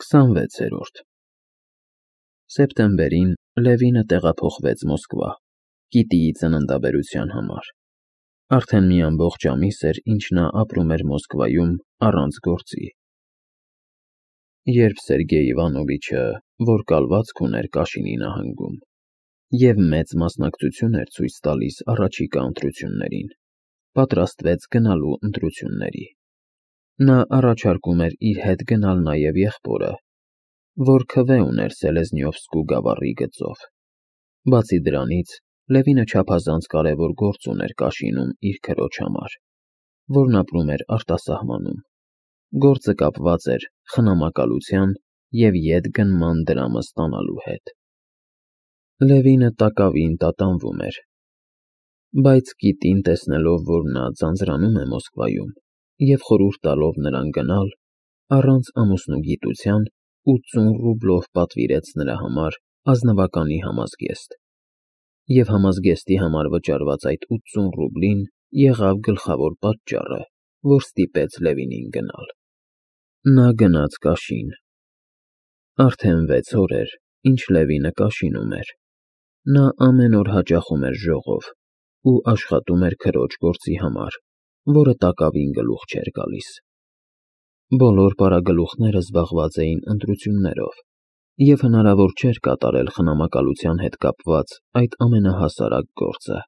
26-րդ Սեպտեմբերին Լևինը տեղափոխվեց Մոսկվա, Կիտիի ծննդաբերության համար։ Արդեն մի ամբողջ ամիս էր, ինչ նա ապրում էր Մոսկվայում առանց գործի։ Երբ Սերգեյ Իվանովիչը, որ կալվածք ուներ Կաշինի նահանգում, և մեծ մասնակցություն էր ցույց տալիս առաջիկա ընտրություններին, պատրաստվեց գնալու ընտրությունների։ Նա առաջարկում էր իր հետ գնալ նաև եղբորը, որ քվե ուներ Սելեզնյովսկու գավառի գծով։ Բացի դրանից, Լևինը չափազանց կարևոր գործ ուներ Կաշինում իր քրոջ համար, որն ապրում էր արտասահմանում։ Գործը կապված էր խնամակալության և ետգնման դրամը ստանալու հետ։ Լևինը տակավին տատանվում էր, բայց Կիտին, տեսնելով, որ նա ձանձրանում է Մոսկվայում, և խորհուրդ տալով նրան գնալ, առանց ամուսնու գիտության 80 ռուբլով պատվիրեց նրա համար ազնվականի համազգեստ, և համազգեստի համար վճարված այդ 80 ռուբլին եղավ գլխավոր պատճառը, որ ստիպեց Լևինին գնալ։ Նա գնաց Կաշին։ Արդեն 6 օր էր, ինչ Լևինը Կաշինում էր։ Նա ամեն օր հաճախում էր ժողով ու աշխատում էր քրոջ գործի համար, որը տակավին գլուխ չէր գալիս։ Բոլոր պարագլուխները զբաղված էին ընտրություններով, և հնարավոր չէր կատարել խնամակալության հետ կապված այդ ամենահասարակ գործը։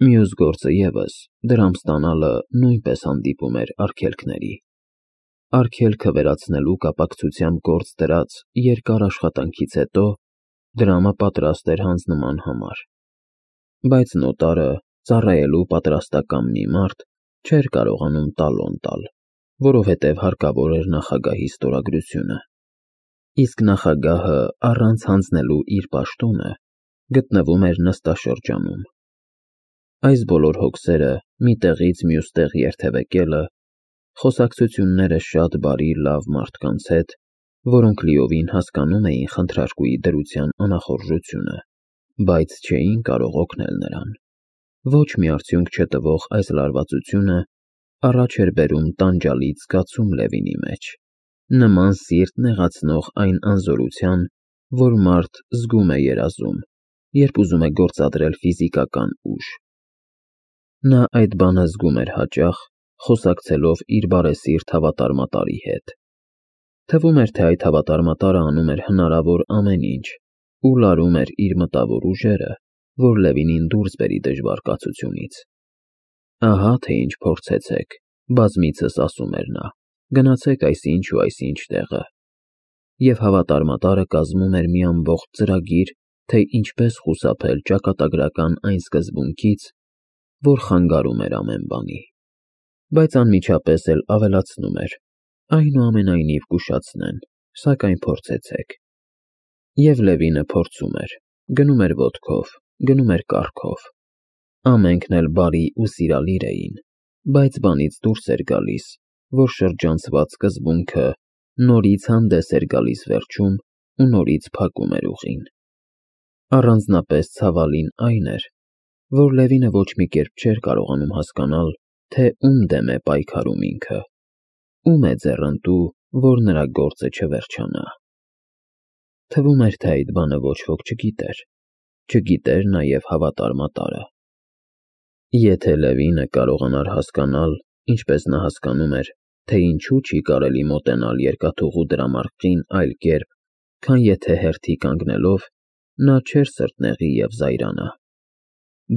Մյուս գործը ևս, դրամ ստանալը, նույնպես հանդիպում էր արգելքների։ Արգելքը վերացնելու կապակցությամբ գործ դրած երկար աշխատանքից հետո դրամը պատրաստ էր հանձնման համար։ Բայց նոտարը, ծառայելու պատրաստակամ մի մարդ, չէր կարողանում տալոն տալ, որովհետև հարկավոր էր նախագահի ստորագրությունը։ Իսկ նախագահը, առանց հանձնելու իր պաշտոնը, գտնվում էր նստաշրջանում։ Այս բոլոր հոգսերը մի տեղից մյուս տեղ երթևեկելը, խոսակցությունները շատ բարի լավ մարդկանց հետ, որոնք լիովին հասկանում էին խնդրարկուի դրության անախորժությունը, բայց չէին կարող օգնել նրան։ Ոչ մի արդյունք չտվող այս լարվածությունը առաջ էր բերում տանջալից զգացում Լևինի մեջ, նման սիրտ նեղացնող այն անզորության, որ մարդ զգում է երազում, երբ ուզում է գործադրել ֆիզիկական ուժ։ Նա այդ բանը զգում էր հաճախ, խոսակցելով իր բարեսիրտ հավատարմատարի հետ։ Թվում էր, թե այդ հավատարմատարը անում էր հնարավոր ամեն ինչ ու լարում էր իր մտավոր ուժերը, որ Լևինին դուրս բերի դժվար կացությունից։ Ահա թե ինչ փորձեցեք, բազմիցս ասում էր նա, գնացեք այսինչ ու այսինչ տեղը։ Եվ հավատարմատարը կազմում էր մի ամբողջ ծրագիր, թե ինչպես խուսափել ճակատագրական այն սկզբունքից, որ խանգարում էր ամեն բանի։ Բայց անմիջապես էլ ավելացնում էր. այնուամենայնիվ կուշացնեն, սակայն փորձեցեք։ Եվ Լևինը փորձում էր, գնում էր ոտքով, գնում էր կառքով։ Ամենքն էլ բարի ու սիրալիր էին, բայց բանից դուրս էր գալիս, որ շրջանցված սկզբունքը նորից հանդես էր գալիս վերջում ու նորից փակում էր ուղին։ Առանձնապես ցավալին այն էր, որ Լևինը ոչ մի կերպ չէր կարողանում հասկանալ, թե ում դեմ է պայքարում ինքը, ում է ձեռնտու, որ նրա գործը չվերջանա։ Թվում էր, թե այդ բանը ոչ ոք չգիտեր նաև հավատարմատարը։ Եթե Լևինը կարողանար հասկանալ, ինչպես նա հասկանում էր, թե ինչու չի կարելի մոտենալ երկաթուղու դրամարկղին այլ կերպ, քան եթե հերթի կանգնելով, նա չէր սրտնեղի և զայրանա։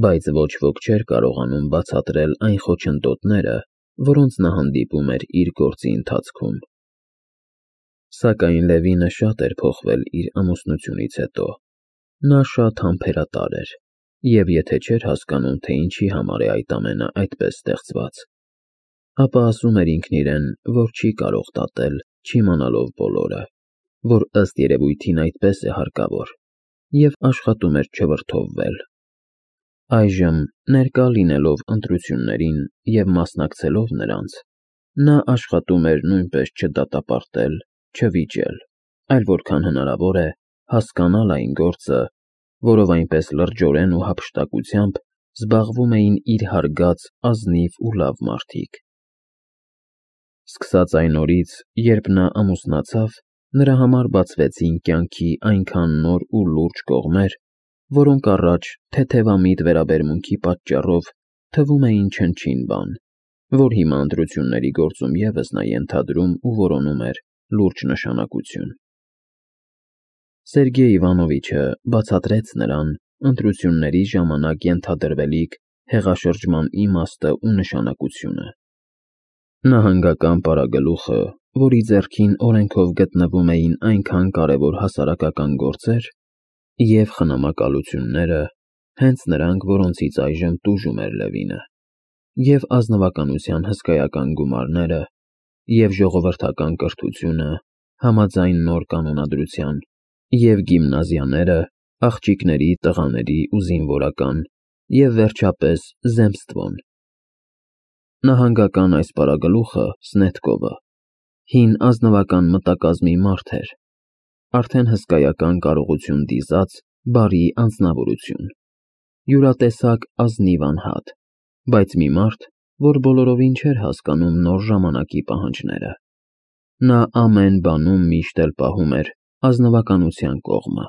Բայց ոչ ոք չէր կարողանում բացատրել այն խոչընդոտները, որոնց նա հանդիպում էր իր գործի ընթացքում։ Սակայն Լևինը շատ էր փոխվել իր ամուսնությունից հետո։ Նա շատ համբերատար էր, և եթե չէր հասկանում, թե ինչի համար է այդ ամենը այդպես ստեղծված, ապա ասում էր ինքն իրեն, որ չի կարող դատել, չիմանալով բոլորը, որ ըստ երևույթին այդպես է հարկավոր, և աշխատում էր չվրդովվել։ Այժմ, ներկա լինելով ընտրություններին և մասնակցելով նրանց, նա աշխատում էր նույնպես չդատապարտել, չվիճել, այլ որքան հնարավոր է, հասկանալ այն գործը, որով այնպես լրջորեն ու հափշտակությամբ զբաղվում էին իր հարգած ազնիվ ու լավ մարդիկ։ Սկսած այն օրից, երբ նա ամուսնացավ, Նրա համար բացվեցին կյանքի այնքան նոր ու լուրջ կողմեր, որոնք առաջ թեթևամիտ վերաբերմունքի պատճառով թվում էին չնչին բան, որ հիմա ընտրությունների գործում ևս նա ենթադրում ու որոնում էր լուրջ նշանակություն։ Սերգեյ Իվանովիչը բացատրեց նրան ընտրությունների ժամանակ ենթադրվելիք հեղաշրջման իմաստը ու նշանակությունը։ Նահանգական պարագլուխը, որի ձեռքին օրենքով գտնվում էին այնքան կարևոր հասարակական գործեր, և խնամակալությունները, հենց նրանք, որոնցից այժմ տուժում էր Լևինը, և ազնվականության հսկայական գումարները, և ժողովրդական կրթությունը, համաձայն նոր կանոնադրության, և գիմնազիաները, աղջիկների, տղաների ու զինվորական, և վերջապես zemstvon։ Նահանգական այս պարագլուխը, Սնետկովը, հին ազնվական մտակազմի մարդ էր, արդեն հսկայական կարողություն դիզած բարի անձնավորություն, յուրատեսակ ազնիվ անհատ, բայց մի մարդ, որ բոլորովին չէր հասկանում նոր ժամանակի պահանջները։ Նա ամեն բանում միշտ էլ պահում էր ազնվականության կողմը։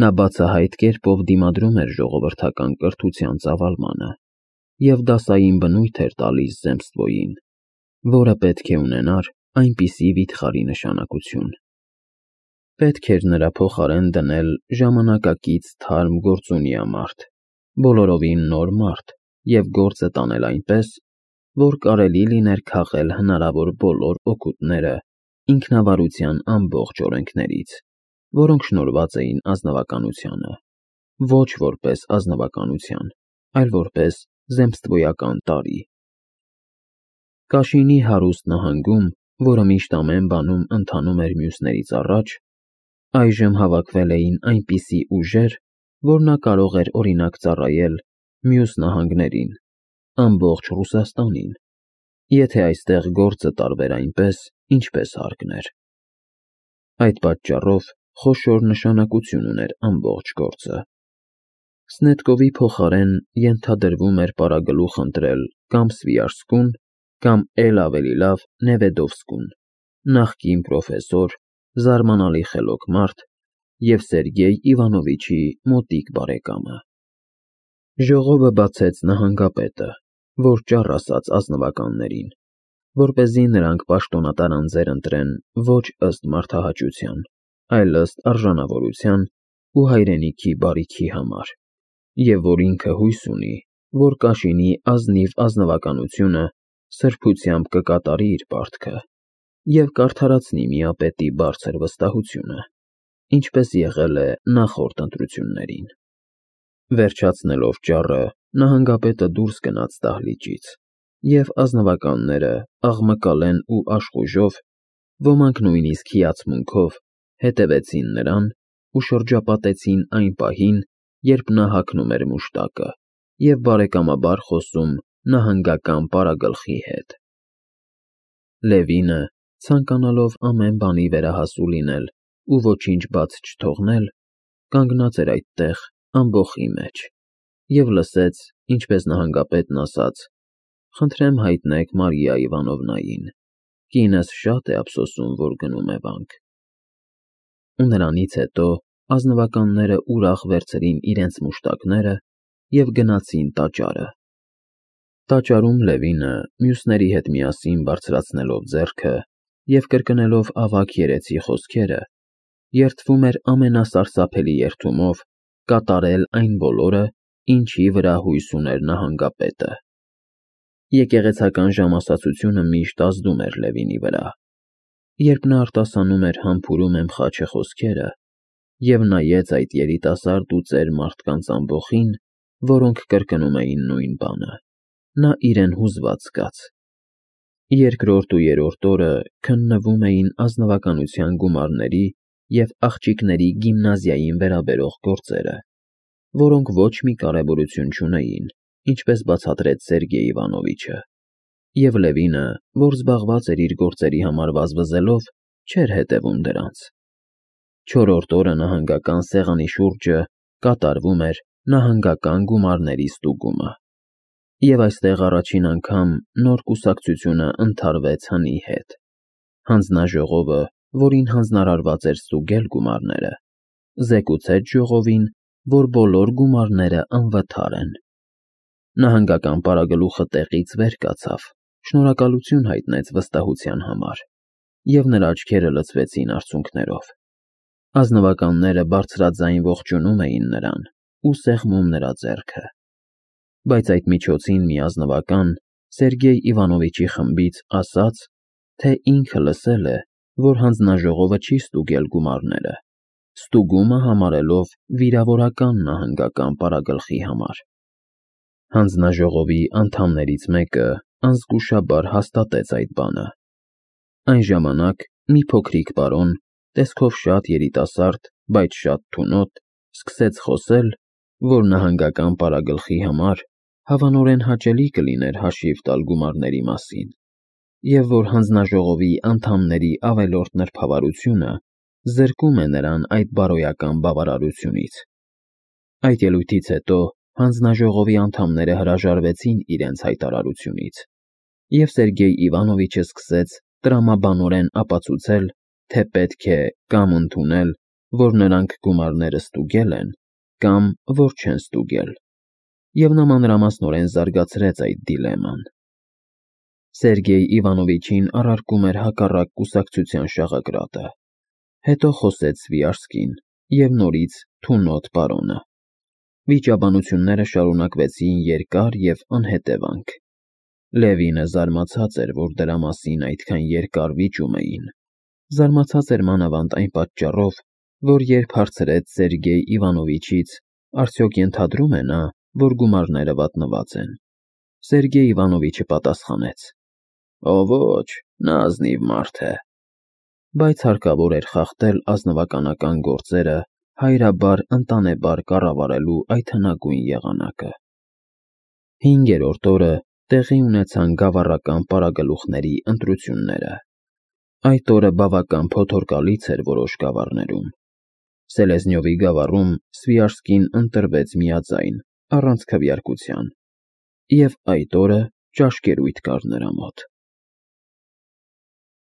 Նա բացահայտ կերպով դիմադրում էր ժողովրդական կրթության ծավալմանը և դասային բնույթ էր տալիս zemstvոյին, որը պետք է ունենար այնպիսի վիթխարի նշանակություն։ Պետք էր նրա փոխարեն դնել ժամանակակից թարմ գործունյա մարդ, բոլորովին նոր մարդ և գործը տանել այնպես, որ կարելի լիներ քաղել հնարավոր բոլոր օգուտները ինքնավարության ամբողջ օրենքներից, որոնք շնորհված էին ազնվականությանը, ոչ որպես ազնվականության, այլ որպես zemstvոյական տարր։ Կաշինի հարուստ նահանգում, որը միշտ ամեն բանում ընթանում էր մյուսներից առաջ, այժմ հավաքվել էին այնպիսի ուժեր, որ նա կարող էր օրինակ ծառայել մյուս նահանգներին, ամբողջ Ռուսաստանին, եթե այստեղ գործը տարվեր այնպես, ինչպես հարկն էր։ Այդ պատճառով խոշոր նշանակություն ուներ ամբողջ գործը։ Սնետկովի փոխարեն ենթադրվում էր պարագլուխ ընտրել կամ Սվիարսկուն, կամ էլ ավելի լավ Նևեդովսկուն, նախկին պրոֆեսոր, զարմանալի խելոք մարդ և Սերգեյ Իվանովիչի մոտիկ բարեկամը։ Ժողովը բացեց նահանգապետը, որ ճառ ասաց ազնվականներին, որպեսզի նրանք պաշտոնատար անձեր ընտրեն ոչ ըստ մարդահաճության, այլ ըստ արժանավորության ու հայրենիքի բարիքի համար, և որ ինքը հույս ունի, որ Կաշինի ազնիվ ազնվականությունը սրբությամբ կկատարի իր պարտքը և կարդարացնի միապետի բարձր վստահությունը, ինչպես եղել է նախորդ ընտրություններին։ Վերջացնելով ճառը, նահանգապետը դուրս գնաց դահլիճից, և ազնվականները աղմկալեն ու աշխուժով, ոմանք նույնիսկ հիացմունքով, հետևեցին նրան ու շրջապատեցին այն պահին, երբ նա հագնում էր մուշտակը և բարեկամաբար խոսում նահանգական պարագլխի հետ։ Լևինը, ցանկանալով ամեն բանի վերահասու լինել ու ոչինչ բաց չթողնել, կանգնած էր այդտեղ ամբոխի մեջ և լսեց, ինչպես նահանգապետն ասաց. «Խնդրեմ հայտնեք Մարիա Իվանովնային, կինս շատ է ափսոսում, որ գնում է վանք»։ Ու նրանից հետո ազնվականները ուրախ վերցրին իրենց մուշտակները և գնացին տաճարը։ Տաճարում Լևինը, մյուսների հետ միասին բարձրացնելով ձեռքը և կրկնելով ավագ երեցի խոսքերը, երդվում էր ամենասարսափելի երդումով կատարել այն բոլորը, ինչի վրա հույս ուներ նահանգապետը։ Եկեղեցական ժամասացությունը միշտ ազդում էր Լևինի վրա։ Երբ նա արտասանում էր «Համբուրում եմ խաչը» խոսքերը և նայեց այդ երիտասարդ ու ծեր մարդկանց ամբոխին, որոնք կրկնում էին նույն բանը, նա իրեն հուզված զգաց։ Երկրորդ ու երրորդ օրը քննվում էին ազնվականության գումարների և աղջիկների գիմնազիային վերաբերող գործերը, որոնք ոչ մի կարևորություն չունեին, ինչպես բացատրեց Սերգեյ Իվանովիչը, և Լևինը, որ զբաղված էր իր գործերի համար վազվզելով, չէր հետևում դրանց։ Չորրորդ օրը նահանգական սեղանի շուրջը կատարվում էր նահանգական գումարների ստուգումը, և այստեղ առաջին անգամ նոր կուսակցությունը ընդհարվեց հնի հետ։ Հանձնաժողովը որին հանձնարարված էր ստուգել գումարները, զեկուցեց ժողովին, որ բոլոր գումարները անվթար են։ Նահանգական պարագլուխը տեղից վեր կացավ, շնորհակալություն հայտնեց վստահության համար, և նրա աչքերը լցվեցին արցունքներով։ Ազնվականները բարձրաձայն ողջունում էին նրան ու սեղմում նրա ձեռքը։ Բայց այդ միջոցին մի ազնվական Սերգեյ Իվանովիչի խմբից ասաց, թե ինքը լսել է, որ հանձնաժողովը չի ստուգել գումարները, ստուգումը համարելով վիրավորական նահանգական պարագլխի համար։ Հանձնաժողովի անդամներից մեկը անզգուշաբար հաստատեց այդ բանը։ Այն ժամանակ մի փոքրիկ պարոն, տեսքով շատ երիտասարդ, բայց շատ թունոտ, սկսեց խոսել, որ նահանգական պարագլխի համար հավանորեն հաճելի կլիներ հաշիվ տալ գումարների մասին, և որ հանձնաժողովի անդամների ավելորդ նրբավարությունը զրկում է նրան այդ բարոյական բավարարությունից։ Այդ ելույթից հետո հանձնաժողովի անդամները հրաժարվեցին իրենց հայտարարությունից, և Սերգեյ Իվանովիչը սկսեց տրամաբանորեն ապացուցել, թե պետք է կամ ընդունել, որ նրանք գումարները ստուգել են, կամ որ չեն ստուգել, և նա մանրամասնորեն զարգացրեց այդ դիլեման։ Սերգեյ Իվանովիչին առարկում էր հակառակ կուսակցության շաղակրատը, հետո խոսեց Սվիարսկին և նորից թունոտ պարոնը։ Վիճաբանությունները շարունակվեցին երկար և անհետևանք։ Լևինը զարմացած էր, որ դրա մասին այդքան երկար վիճում էին։ Զարմացած էր մանավանդ այն պատճառով, որ երբ հարցրեց Սերգեյ Իվանովիչից, արդյոք ենթադրում է նա, որ գումարները վատնված են, Սերգեյ Իվանովիչը պատասխանեց. «Ոչ, նա ազնիվ մարդ է»։ Բայց հարկավոր էր խախտել ազնվականական գործերը հայրաբար ընտանեբար կառավարելու այդ հնագույն եղանակը։ 5-րդ օրը տեղի ունեցան գավառական պարագլուխների ընտրությունները։ Այդ օրը բավական փոթորկալից էր որոշ գավառներում։ Սելեզնյովի գավառում Սվիարսկին ընտրվեց միաձայն, առանց քվեարկության, և այդ օրը ճաշկերույթ կար նրա մոտ։